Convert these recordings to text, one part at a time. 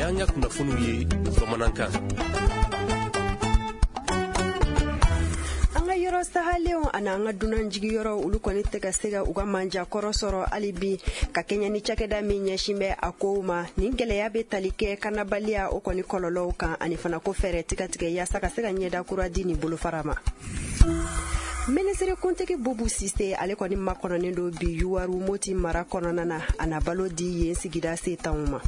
Y'an ka kunnafoniw ye bamanankan. An ka yɔrɔ sahalenw ani an ka dunanjigiyɔrɔ, olu kɔni tɛ ka se ka u ka manjakɔrɔ sɔrɔ hali bi, ka kɛɲɛ ni cakɛda min ɲɛsin bɛ a kow ma. Nin gɛlɛya bɛ tali kɛ kanabaliya o kɔni kɔlɔlɔw kan, ani fana ko fɛɛrɛ ti ka tigɛ yaasa ka se ka ɲɛda kura di nin bolofara ma. Minisiri kuntigi Bubu Sise, ale kɔni makɔnɔnen don bi Yuwaru, Moti mara kɔnɔna na. A na balo di yen sigida setanw ma.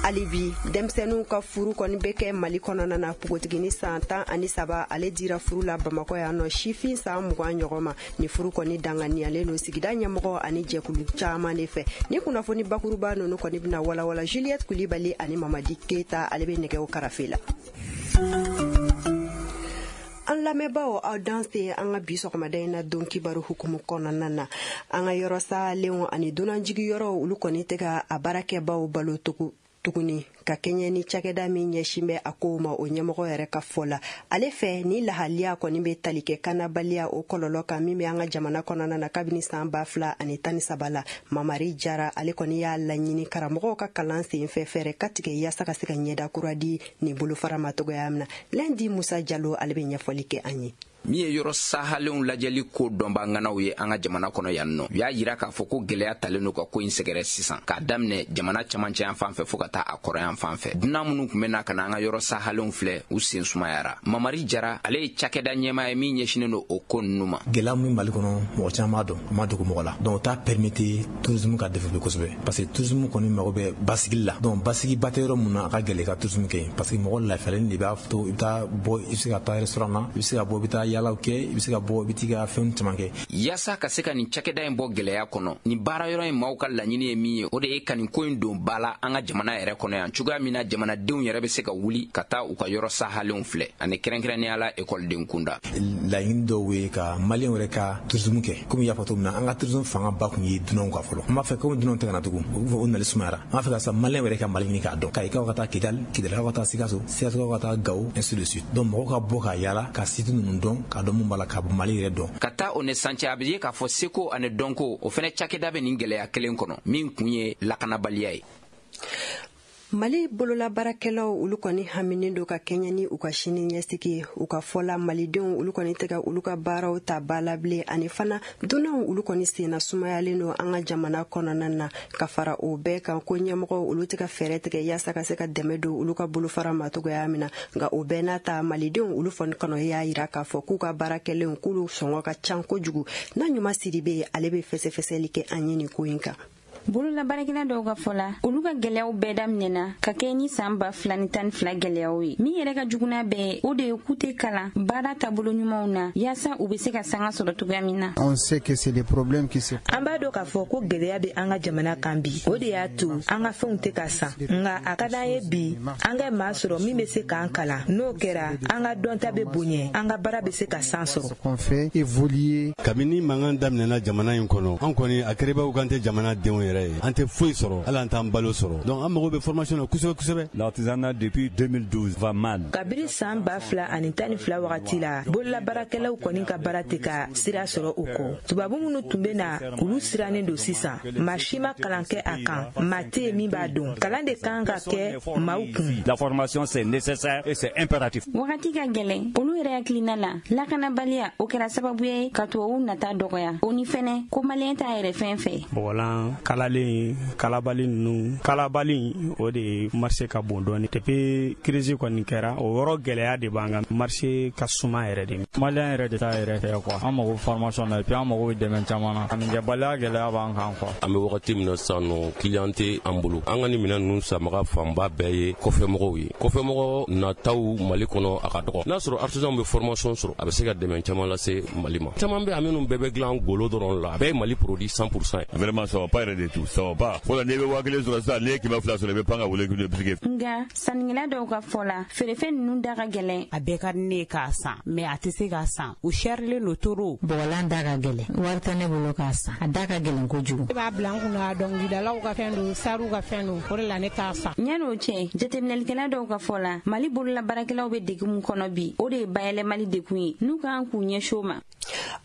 Hali bi, denmisɛnninw ka furu kɔni bɛ kɛ Mali kɔnɔna na. Npogotigini san 13, ale dira furu la Bamakɔ yan nɔ, sifin san 20 ɲɔgɔn ma. Ni furu kɔni danganiyalen don sigida ɲɛmɔgɔ ani jɛkulu caman de fɛ. Ni kunnafoni bakuruba ninnu kɔni bɛna walawala Juliette Kulibali ani Mamadi Keyita, ale bɛ nɛgɛw karafe la. An lamɛnbaaw, aw danse. An ka bi sɔgɔmada in na don kibaru hukumu kɔnɔna na, an ka yɔrɔ salenw ani dunanjigiyɔrɔw, olu kɔni tɛ ka a baarakɛbaw balo tuguni, ka kɛɲɛ ni cakɛda min ɲɛsin bɛ a kow ma, o ɲɛmɔgɔ yɛrɛ ka fɔ la. Ale fɛ, ni lahaliya kɔni bɛ tali kɛ kanabaliya o kɔlɔlɔ kan min bɛ an ka jamana kɔnɔna na kabini san 2013 la. Mamari Jara, ale kɔni y'a laɲini karamɔgɔw ka kalan sen fɛ, fɛɛrɛ ka tigɛ yaasa ka se ka ɲɛda kura di nin bolofara ma cogoya min na. Lɛndi Musa Jalo, ale bɛ ɲɛfɔli kɛ an ye. Min ye yɔrɔ sahalenw lajɛli ko dɔnbaŋanaw ye an ka jamana kɔnɔ yan nɔ, u y'a yira k'a fɔ ko gwɛlɛya talen don ka ko in sɛgɛrɛ sisan, k'a daminɛ jamana camancɛyan fan fɛ fɔɔ ka taa a kɔrɔyan fan fɛ. Dunan minnu tun bɛ na ka na an ka yɔrɔ sahalenw filɛ, u sen sumayara. Mamari Jara, ale ye cakɛda ɲɛmaa ye min ɲɛsinen don o ko ninnu ma. Gɛlɛya min Mali kɔnɔ, mɔgɔ caman b'a dɔn, a ma dogo mɔgɔ la. Donc o t'a permettre tourisme ka développer kosɛbɛ, parce que tourisme kɔni mago bɛ basigili la. Donc basigiba tɛ yɔrɔ mun na, a ka gɛlɛ i ka tourisme kɛ, parce que mɔgɔ lafiyalen de b'a to i bɛ taa bɔ, i bɛ se ka taa restaurant na, i bɛ se ka bɔ, i bɛ taa yaalaw kɛ, i bɛ se ka bɔ, i bɛ t'i ka fɛnw caman kɛ. Yaasa ka se ka nin cakɛda in bɔ gwɛlɛya kɔnɔ, nin baara yɔrɔ in maaw ka laɲini ye min ye, o de ye ka nin ko in don ba la an ka jamana yɛrɛ kɔnɔ yan, cogoya min na jamanadenw yɛrɛ bɛ se ka wuli ka taa u ka yɔrɔ sahalenw filɛ, ani kɛrɛnkɛrɛnnenya la ekɔliden kunda. Laɲini dɔw ye ka Maliyɛnw yɛrɛ ka tourisme kɛ. Komi i y'a fɔ cogo min na, an ka tourisme fanga ba kun ye dunanw ka fɔlɔ. An b'a fɛ, komi dunanw tɛ ka na tugun, o nali sumayara, an b'a fɛ ka sa Maliyɛnw yɛrɛ ka Mali ɲini k'a dɔn, Kayikaw ka taa Kidali, Kidalikaw ka taa Sikaso, Sikasokaw ka taa Gawo, ainsi de suite. Donc mɔgɔw ka bɔ ka yaala ka site ninnu dɔn, k'a dɔn mun b'a la, ka Mali yɛrɛ dɔn. Ka taa o ni san cɛ, a bɛ ye k'a fɔ seko ani dɔnko o fɛnɛ cakɛda bɛ nin gwɛlɛya kelen kɔnɔ min kun ye lakanabaliya ye. Mali bololabaarakɛlaw, olu kɔni haminen don ka kɛɲɛ ni u ka sini ɲɛsigi ye. U ka fɔ la, malidenw, olu kɔni tɛ ka olu ka baaraw ta ba la bilen, ani fana dunanw, olu kɔni senna sumayalen don an ka jamana kɔnɔna na. Ka fara o bɛɛ kan, ko ɲɛmɔgɔw, olu tɛ ka fɛɛrɛ tigɛ yaasa ka se ka dɛmɛ don olu ka bolofara ma cogoya min na. Nka o bɛɛ n'a ta, malidenw, olu fɔni kɔnɔ y'a yira k'a fɔ k'u ka baara kɛlenw, k'olu sɔngɔ ka ca kojugu. N'a ɲuman Sidibe, ale bɛ fɛsɛfɛsɛli kɛ an ye nin ko in kan. Bololabaarakɛla dɔw ka fɔ la, olu ka gwɛlɛyaw bɛɛ daminɛna ka kɛ ni saan 2012 gwɛlɛyaw ye. Min yɛrɛ ka juguna bɛɛ, o de ye k'u tɛ kalan baara taabolo ɲumanw na, yaasa u be se ka sanga sɔrɔ cogoya min na. On sait que c'est des problèmes qui se An b'a dɔn k'a fɔ ko gwɛlɛya bɛ an ka jamana kan bi. O de y'a to an ka fɛnw tɛ ka san. Nka a ka d'an ye bi an ka maa sɔrɔ min bɛ se k'an kalan. N'o kɛra, an ka dɔnta bɛ bonya, an ka baara bɛ se ka san sɔrɔ. Qu'on fait évoluer. Kabini mankan daminɛna jamana in kɔnɔ, an kɔni a kɛra k'an tɛ jamana denw yɛrɛ ye, an tɛ foyi sɔrɔ, hali an t'an balo sɔrɔ. Donc an mago bɛ formation na kosɛbɛ kosɛbɛ. L'artisanat depuis 2012 va mal. Kabiri saan 2012 wagati la, bololabaarakɛlaw kɔni ka baara tɛ ka sira sɔrɔ. O kɔ, tubabu minnu tun bɛ na, olu sirannen don sisan. Maa si ma kalan kɛ a kan, maa tɛ yen min b'a dɔn. Kalan de kan ka kɛ maaw kun. La formation, c'est nécessaire et c'est impératif. Wagati ka gwɛlɛn. Olu yɛrɛ hakilina la, lakanabaliya o kɛra sababu ye ka tubabuw nata dɔgɔya. O ni fɛnɛ ko maliyɛn t'a yɛrɛ fɛn fɛ. Bɔgɔlan kalalen, kalabali ninnu, kalabali o de marché ka bon dɔɔni. Depuis crise kɔni kɛra, o yɔrɔ gɛlɛya de b'an kan, marché ka suma yɛrɛ de. Maliyɛn yɛrɛ de t'a yɛrɛ fɛ quoi. An mago formation na, et puis an mago bɛ dɛmɛ caman na. Sannikɛbaliya gɛlɛya b'an kan quoi. An bɛ wagati min na sisan nɔ, client tɛ an bolo. An ka nin minɛn ninnu sanbaga fanba bɛɛ ye kɔfɛmɔgɔw ye. Kɔfɛmɔgɔ nataw Mali kɔnɔ, a ka dɔgɔ. N'a sɔrɔ artisan bɛ formation sɔrɔ, a bɛ se ka dɛmɛ caman lase Mali ma. Caman bɛ a minnu bɛɛ bɛ dilan golo dɔrɔn la, a bɛɛ ye Mali produit 100% ye. Vraiment, ça va pas yɛrɛ de tout, ça va pas. Fɔlɔ, n'i bɛ 1000 sɔrɔ sisan, n'i ye 200 sɔrɔ, i bɛ pan ka wele k'i bɛ. Nga sannikɛla dɔw ka fɔ la, feerefɛn ninnu da ka gɛlɛn. A bɛɛ ka di ne ye k'a san, mais a tɛ se k'a san, u sɛrilen don toro. Bɔgɔlan da ka gɛlɛn, wari tɛ ne bolo k'a san, a da ka gɛlɛn kojugu. Ne b'a bila n kunna, dɔnkilidalaw ka fɛn don, sariw ka fɛn don, o de la ne t'a san. Ɲan'o cɛ, jateminɛlikɛla dɔw ka fɔ la, Mali bololabaarakɛlaw bɛ degun min kɔnɔ bi, o de ye bayɛlɛmali dekun ye n'u kan k'u ɲɛsin o ma.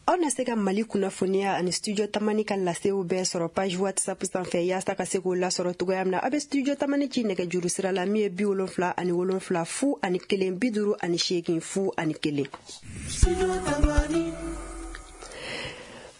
Aw na se ka Mali kunnafoniya ani Studio Tamani ka lasew bɛɛ sɔrɔ page WhatsApp sanfɛ. Yaasa ka se k'o lasɔrɔ cogoya min na, aw bɛ Studio Tamani ci nɛgɛjuru sira la min ye 77 01 58 01.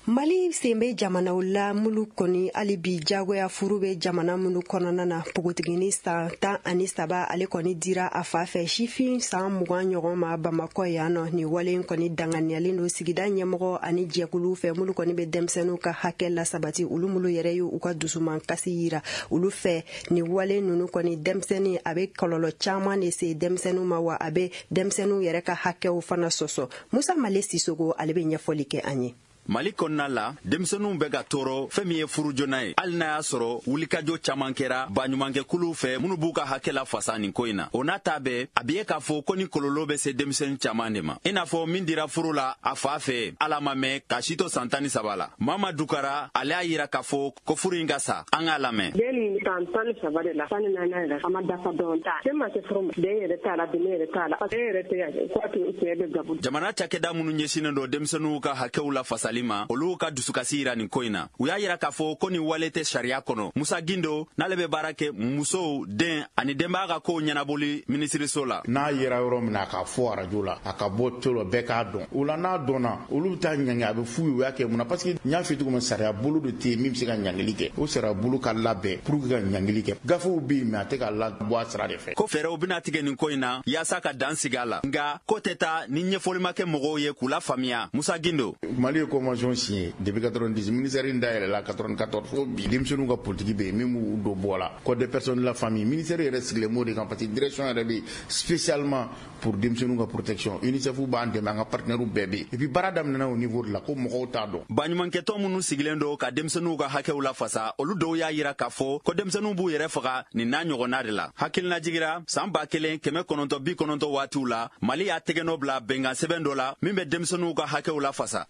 Mali sen bɛ jamanaw la minnu kɔni hali bi jagoya furu bɛ jamana minnu kɔnɔna na. Npogotigini san 13, ale kɔni dira a fa fɛ sifin san 20 ɲɔgɔn ma Bamakɔ yan nɔ. Nin wale in kɔni danganiyalen don sigida ɲɛmɔgɔ ani jɛkuluw fɛ minnu kɔni bɛ denmisɛnninw ka hakɛ lasabati, olu minnu yɛrɛ ye u ka dusuman kasi yira olu fɛ. Nin wale ninnu kɔni, denmisɛnnin a bɛ kɔlɔlɔ caman de se denmisɛnninw ma, wa a bɛ denmisɛnninw yɛrɛ ka hakɛw fana sɔsɔ. Musa Male Sisogo, ale bɛ ɲɛfɔli kɛ an ye. Mali kɔnɔna la, denmisɛnninw bɛ ka tɔɔrɔ fɛn min ye furu joona ye, hali n'a y'a sɔrɔ wulikajɔ caman kɛra baɲumankɛkuluw fɛ minnu b'u ka hakɛ la fasa nin ko in na. O n'a ta bɛɛ, a bɛ ye k'a fɔ ko ni kɔlɔlɔ bɛ se denmisɛnnin caman de ma, i n'a fɔ min dira furu la a fa fɛ, ala ma mɛn k'a si to san 13 la. Mama Dukara, ale y'a yira k'a fɔ ko furu in ka sa. An k'a lamɛn. Den nin san 13 de la, 14 yɛrɛ, a ma dafa dɔɔnin ta. Den ma se furu ma, den yɛrɛ t'a la, den yɛrɛ t'a la, den yɛrɛ tɛ yan ko a tun cɛ bɛ gabu. Jamana cakɛda minnu ɲɛsinnen don denmisɛnninw ka hakɛw la fasali ma, olu ka dusukasi yira nin ko in na. U y'a yira k'a fɔ ko nin wale tɛ sariya kɔnɔ. Musa Gindo, n'ale bɛ baara kɛ musow, den ani denbaya ka kow ɲɛnabɔli minisiriso la. N'a yera yɔrɔ min na, a ka fɔ arajo la, a ka bɔ to la, bɛɛ k'a dɔn. O la, n'a dɔnna, olu bɛ taa ɲangi, a bɛ f'u ye u y'a kɛ mun na, parce que n y'a f'i cogo min, sariya bolo de tɛ yen min bɛ se ka ɲangili kɛ. O sariya bolo ka labɛn pour que ka ɲangili kɛ. Gafew bɛ yen, mais a tɛ ka labɔ a sira de fɛ. Ko fɛɛrɛw bɛna tigɛ nin ko in na yaasa ka dan sigi a la, nka ko tɛ taa ni ɲɛfɔli ma kɛ mɔgɔw ye k'u lafaamuya. Musa Gindo. Mali ye convention signé depuis 90, ministère in dayɛlɛla 94 fo bi, denmisɛnninw ka politique bɛ yen min b'u don bɔ la, code des personnes de la famille. Ministère yɛrɛ sigilen b'o de kan, parce que direction yɛrɛ bɛ yen spécialement pour denmisɛnninw ka protection. UNICEF b'an dɛmɛ, an ka partenaires bɛɛ bɛ yen, et puis baara daminɛna au niveau de la ko mɔgɔw t'a dɔn. Baɲumankɛtɔn minnu sigilen don ka denmisɛnninw ka hakɛw lafasa, olu dɔw y'a yira k'a fɔ ko denmisɛnninw b'u yɛrɛ faga nin n'a ɲɔgɔnna de la. Hakilina jigira san 1990 waatiw la, Mali y'a tɛgɛnɔ bila bɛnkan sɛbɛn dɔ la min bɛ denmisɛnninw ka hakɛw lafasa.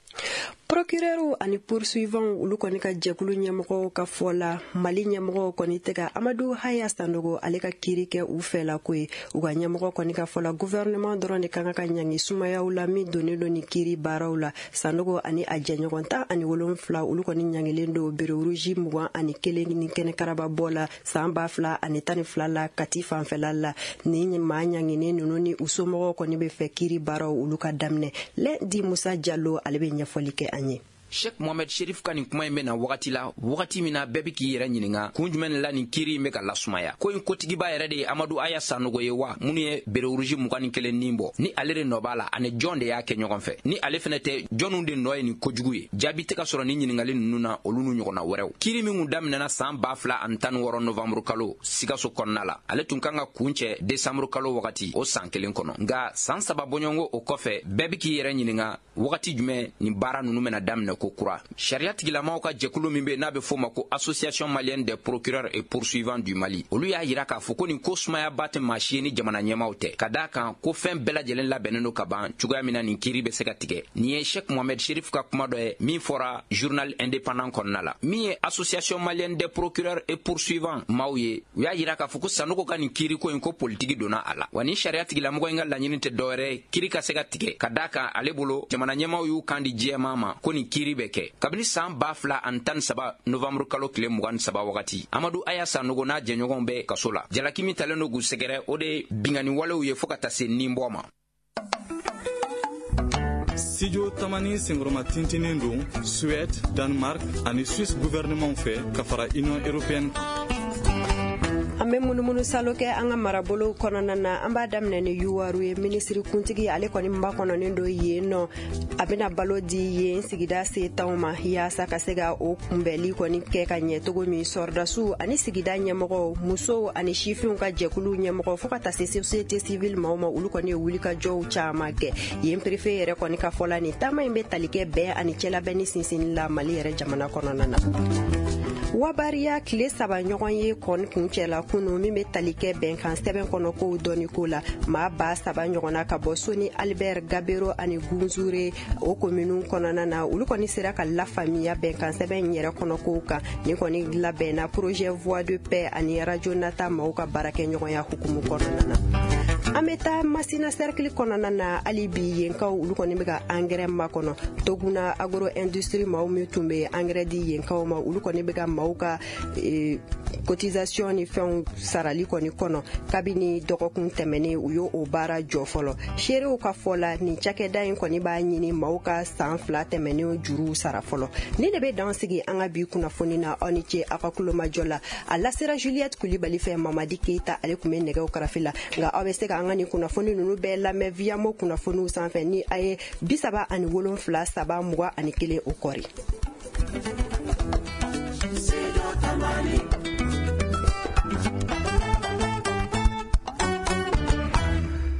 Procureur ani poursuivant, olu kɔni ka jɛkulu ɲɛmɔgɔw ka fɔ la, Mali ɲɛmɔgɔw kɔni tɛ ka Amadu Haya Sanogo ale ka kiiri kɛ u fɛ la ko ye. U ka ɲɛmɔgɔ kɔni ka fɔ la, gouvernement dɔrɔn de kan ka ɲangi sumayaw la min donnen don ni kiiri baaraw la. Sanogo ani a jɛɲɔgɔn 17, olu kɔni ɲangilen don béret rouge 21 ni kɛnɛkaraba bɔ la san 2012 la Kati fanfɛla la. Ni maa ɲanginen ninnu ni u somɔgɔw kɔni bɛ fɛ kiiri baaraw olu ka daminɛ. Lɛndi Musa Jalo, ale bɛ ɲɛfɔli kɛ an ye. Sheikh Mohamed Sherif ka nin kuma in bɛ na wagati la, wagati min na bɛɛ bɛ k'i yɛrɛ ɲininka kun jumɛn la nin kiiri in bɛ ka lasumaya. Ko in kotigiba yɛrɛ de ye Amadu Aya Sanogo ye wa, minnu ye béret rouge 21 nin bɔ, ni ale de nɔ b'a la, ani jɔn de y'a kɛ ɲɔgɔn fɛ? Ni ale fɛnɛ tɛ, jɔnw de nɔ ye nin kojugu ye? Jaabi tɛ ka sɔrɔ ni ɲininkali ninnu na, olu n'u ɲɔgɔnna wɛrɛw. Kiiri min kun daminɛna san 2016 novembre kalo Sikaso kɔnɔna la, ale tun kan ka kun cɛ décembre kalo wagati o san kelen kɔnɔ. Nka san 3 bɔɲɔgɔnko o kɔfɛ, bɛɛ bɛ k'i yɛrɛ ɲininka wagati jumɛn nin baara ninnu bɛna daminɛ ko kura. Sariya tigilamaw ka jɛkulu min bɛ n'a bɛ f'o ma ko Association malienne des procureurs et poursuivants du Mali, olu y'a yira k'a fɔ ko nin ko sumayaba tɛ maa si ye ni jamana ɲɛmaw tɛ, ka d'a kan ko fɛn bɛɛ lajɛlen labɛnnen don ka ban cogoya min na nin kiiri bɛ se ka tigɛ. Nin ye Sheikh Mohamed Sherif ka kuma dɔ ye min fɔra journal indépendant kɔnɔna la. Min ye Association malienne des procureurs et poursuivants maaw ye, u y'a yira k'a fɔ ko Sanogo ka nin kiiri ko in, ko politiki donna a la, wa ni sariya tigilamɔgɔ in ka laɲini tɛ dɔwɛrɛ ye kiiri ka se ka tigɛ, ka d'a kan ale bolo jamana ɲɛmaw y'u kan di jɛman ma ko nin kiiri bɛ kɛ. Kabini san 2013 novembre kalo tile 23 wagati, Amadu Aya Sanogo n'a jɛɲɔgɔnw bɛ kaso la. Jalaki min talen don k'u sɛgɛrɛ, o de ye bingani walew ye fɔɔ ka taa se ninbɔ ma. Studio Tamani senkɔrɔma tintinen don Suède, Danemark ani Suisse gouvernement fɛ ka fara Union européenne kan. An bɛ munumunu salo kɛ an ka marabolow kɔnɔna na. An b'a daminɛ ni Yuwaru ye. Minisiri kuntigi, ale kɔni makɔnɔnen don yen nɔ. A bɛna balo di yen sigida setanw ma yaasa ka se ka o kunbɛli kɔni kɛ ka ɲɛ cogo min. Sɔrɔdasiw ani sigida ɲɛmɔgɔw, musow ani sifinw ka jɛkuluw ɲɛmɔgɔ, fo ka taa se société civile maaw ma, olu kɔni ye wulikajɔw caman kɛ yen. Préfet yɛrɛ kɔni ka fɔ la, nin taama in bɛ tali kɛ bɛn ani cɛlabɛnni sinsinni la Mali yɛrɛ jamana kɔnɔna na. Wabariya tile 3 ɲɔgɔn ye kɔni kuncɛla kunu min bɛ tali kɛ bɛnkan sɛbɛn kɔnɔ kow dɔnni ko la. Maa 3000 ɲɔgɔnna ka bɔ Soni Albert, Gabero ani Gunzure o kominiw kɔnɔna na, olu kɔni sera ka lafaamuya bɛnkan sɛbɛn yɛrɛ kɔnɔ kow kan. Nin kɔni labɛnna projet Voix de paix ani radio Nata maaw ka baarakɛɲɔgɔnya hukumu kɔnɔna na. An bɛ taa Masina cercle kɔnɔna na. Hali bi, yenkaw olu kɔni bɛ ka angɛrɛ makɔnɔ. Toguna Agro Industrie maaw min tun bɛ angɛrɛ di yenkaw ma, olu kɔni bɛ ka maaw ka cotisation ni fɛnw sarali kɔni kɔnɔ. Kabini dɔgɔkun tɛmɛnen, u y'o o baara jɔ fɔlɔ. Seerew ka fɔ la, nin cakɛda in kɔni b'a ɲini maaw ka san 2 tɛmɛnen juruw sara fɔlɔ. Ni de bɛ dan sigi an ka bi kunnafoni na. Aw ni ce aw ka kulomajɔ la. A lasera Juliette Kulibali fɛ. Mamadi Keyita, ale tun bɛ nɛgɛw karafe la. Nka aw bɛ se ka an ka nin kunnafoni ninnu bɛɛ lamɛn Viamo kunnafoniw sanfɛ ni a ye 37 3 21 o kɔri.